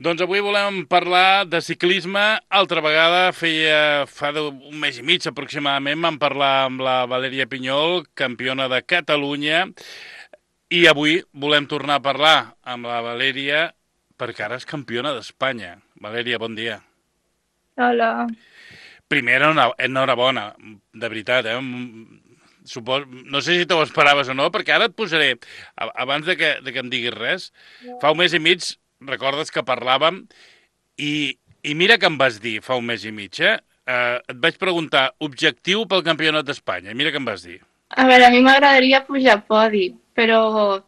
Doncs avui volem parlar de ciclisme. Altra vegada, fa un mes i mig aproximadament, vam parlar amb la Valèria Pinyol, campiona de Catalunya, i avui volem tornar a parlar amb la Valèria perquè ara és campiona d'Espanya. Valèria, bon dia. Hola. Primer, enhorabona, de veritat, eh? No sé si te ho esperaves o no, perquè ara et posaré, abans de que em diguis res, fa un mes i mig, recordes que parlàvem, i mira que em vas dir fa un mes i mig, eh? Et vaig preguntar objectiu pel campionat d'Espanya, i mira que em vas dir. A veure, a mi m'agradaria pujar a podi, però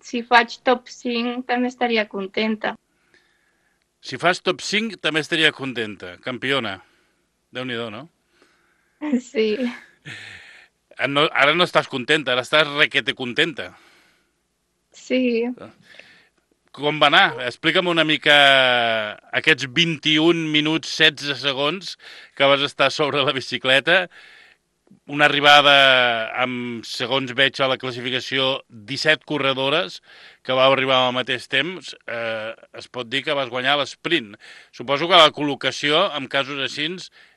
si faig top 5 també estaria contenta. Si fas top 5 també estaria contenta. Campiona. Déu-n'hi-do, no? Sí, No? Ara no estàs contenta, ara estàs requete contenta. sí. Com va anar? Explica'm una mica aquests 21 minuts 16 segons que vas estar sobre la bicicleta, una arribada amb, segons veig a la classificació, 17 corredores que vau arribar al mateix temps, es pot dir que vas guanyar l'esprint. Suposo que la col·locació, en casos així,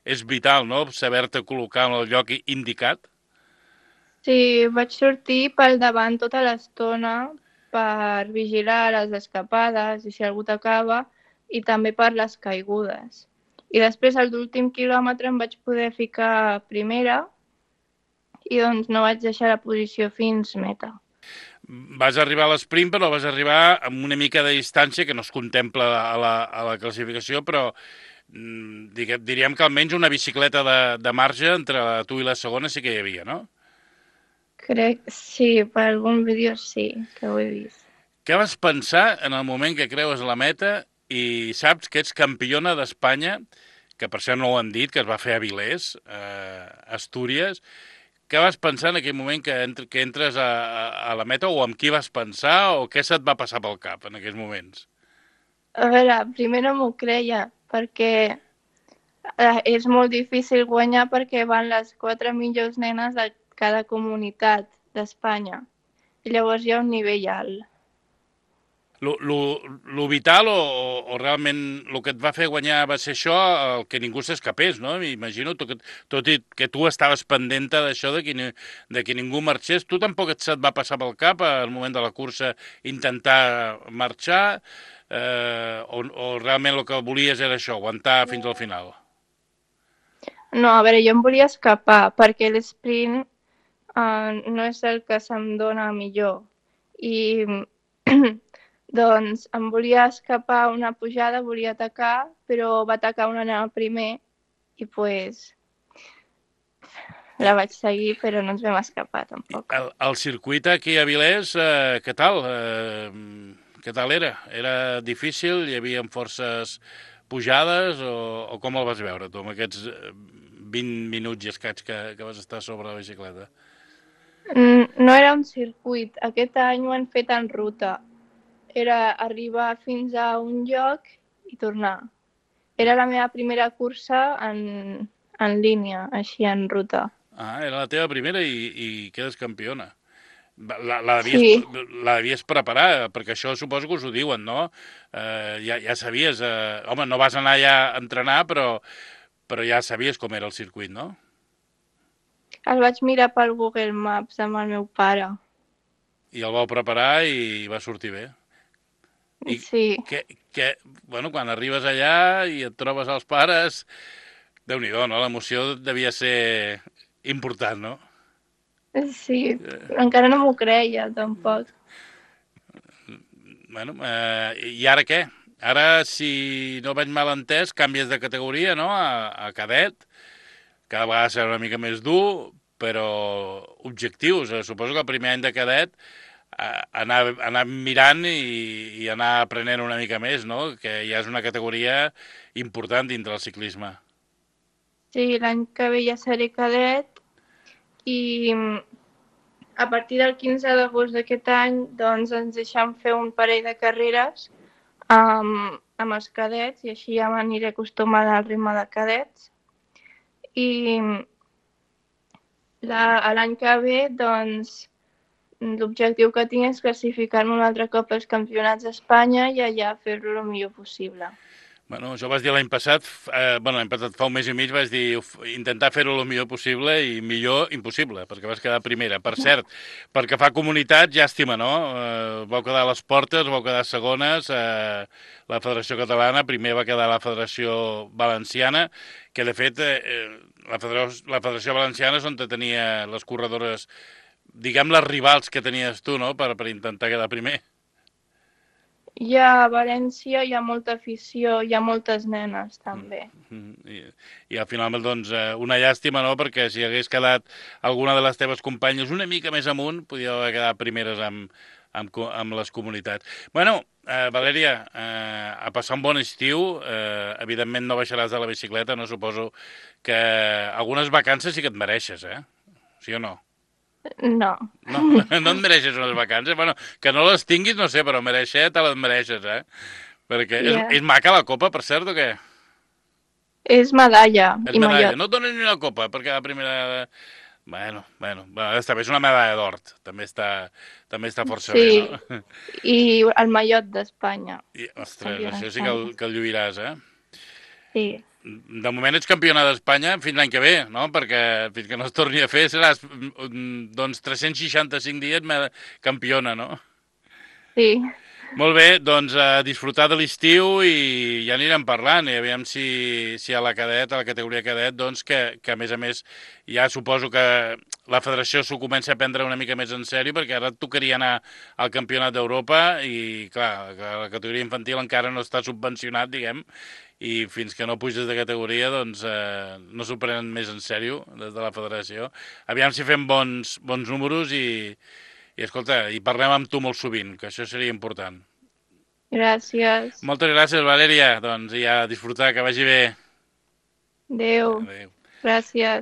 és vital, no?, saber-te col·locar en el lloc indicat. Sí, vaig sortir pel davant tota l'estona per vigilar les escapades i si algú t'acaba i també per les caigudes. I després, a l'últim quilòmetre, em vaig poder ficar primera i doncs no vaig deixar la posició fins meta. Vas arribar a l'esprint, però vas arribar amb una mica de distància que no es contempla a la classificació, però diríem que almenys una bicicleta de marge entre tu i la segona sí que hi havia, no? Crec, sí, per algun vídeo sí, que ho he vist. Què vas pensar en el moment que creues la meta i saps que ets campiona d'Espanya, que per això no ho han dit, que es va fer a Vilés, Astúries. Què vas pensar en aquell moment que entres a la meta, o amb qui vas pensar, o què se't va passar pel cap en aquells moments? A veure, primer no m'ho creia, perquè és molt difícil guanyar perquè van les 4 millors nenes de cada comunitat d'Espanya. I llavors hi ha un nivell alt. Lo vital o realment el que et va fer guanyar va ser això, el que ningú s'escapés, no? M'imagino, tot i que tu estaves pendenta d'això, de que ningú marxés, tu tampoc se't va passar pel cap al moment de la cursa intentar marxar, o realment el que volies era això, aguantar fins al final? No, a veure, jo em volia escapar perquè l'esprint no és el que se'm dona millor. I doncs em volia escapar una pujada, volia atacar, però va atacar una nena primer i pues la vaig seguir, però no ens vam escapar tampoc. El circuit aquí a Vilés, què tal? Què tal era? Era difícil? Hi havia forces pujades o com el vas veure tu, amb aquests 20 minuts i escaig que vas estar sobre la bicicleta? No era un circuit, aquest any ho han fet en ruta. Era arribar fins a un lloc i tornar. Era la meva primera cursa en línia, així en ruta. Ah, era la teva primera i quedes campiona. La, la, devies, Sí, la devies preparar, perquè això suposo que us ho diuen, no? Ja sabies... home, no vas anar ja a entrenar, però ja sabies com era el circuit, no? el vaig mirar pel Google Maps amb el meu pare. I el vau preparar i va sortir bé. I Sí, que, que bueno, quan arribes allà i et trobes els pares, Déu-n'hi-do, no? L'emoció devia ser important, no? sí, però encara no m'ho creia, tampoc. Bueno, i ara què? Ara, si no vaig mal entès, canvies de categoria, no?, a cadet. Cada vegada serà una mica més dur, però objectius. Suposo que el primer any de cadet anar mirant i anar aprenent una mica més, no?, que ja és una categoria important dintre del ciclisme. Sí, l'any que ve ja seré cadet i a partir del 15 d'agost d'aquest any doncs ens deixen fer un parell de carreres amb els cadets i així ja m'aniré acostumant al ritme de cadets. I l'any que ve doncs l'objectiu que tinc és classificar-me un altre cop als campionats d'Espanya i allà fer-lo el millor possible. Bueno, això vas dir l'any passat, l'any passat fa un mes i mig vas dir intentar fer-ho el millor possible i millor impossible, perquè vas quedar primera. Per cert, perquè fa comunitat, llàstima, no? Vau quedar a les portes, vau quedar segones, la Federació Catalana, primer va quedar la Federació Valenciana, que de fet la Federació Valenciana és on tenia les corredores, diguem les rivals que tenies tu, no?, per intentar quedar primer. A València hi ha molta afició, hi ha moltes nenes també. I al final, doncs, una llàstima, no?, perquè si hagués quedat alguna de les teves companyes una mica més amunt, podria haver quedat primeres amb les comunitats. Bueno, Valèria, a passar un bon estiu, evidentment no baixaràs de la bicicleta, no? Suposo que algunes vacances sí que et mereixes, sí o no? No. No, no et mereixes unes vacances? Bueno, que no les tinguis, no sé, però mereixer te les mereixes, Perquè és maca la copa, per cert, o què? És medalla És i medalla. mallot. No et donen ni una copa, perquè la primera... Bueno, està bé, és una medalla d'or. També està força bé, no? I el mallot d'Espanya. Ostres, això sí que el lluiràs, Sí. De moment ets campiona d'Espanya fins l'any que ve, no? Perquè fins que no es torni a fer seràs, doncs, 365 dies campiona, no? Sí. Molt bé, doncs a disfrutar de l'estiu i ja anirem parlant, i aviam si a la cadet, a la categoria cadet, doncs que a més ja suposo que la federació s'ho comença a prendre una mica més en sèrio, perquè ara et tocaria anar al campionat d'Europa i, clar, la categoria infantil encara no està subvencionat, diguem, i fins que no puges de categoria, doncs no s'ho prenen més en sèrio des de la federació. Aviam si fem bons números i escolta, i parlem amb tu molt sovint, que això seria important. Gràcies. Moltes gràcies, Valèria. Doncs ja, disfrutar, que vagi bé. Adéu. Gràcies.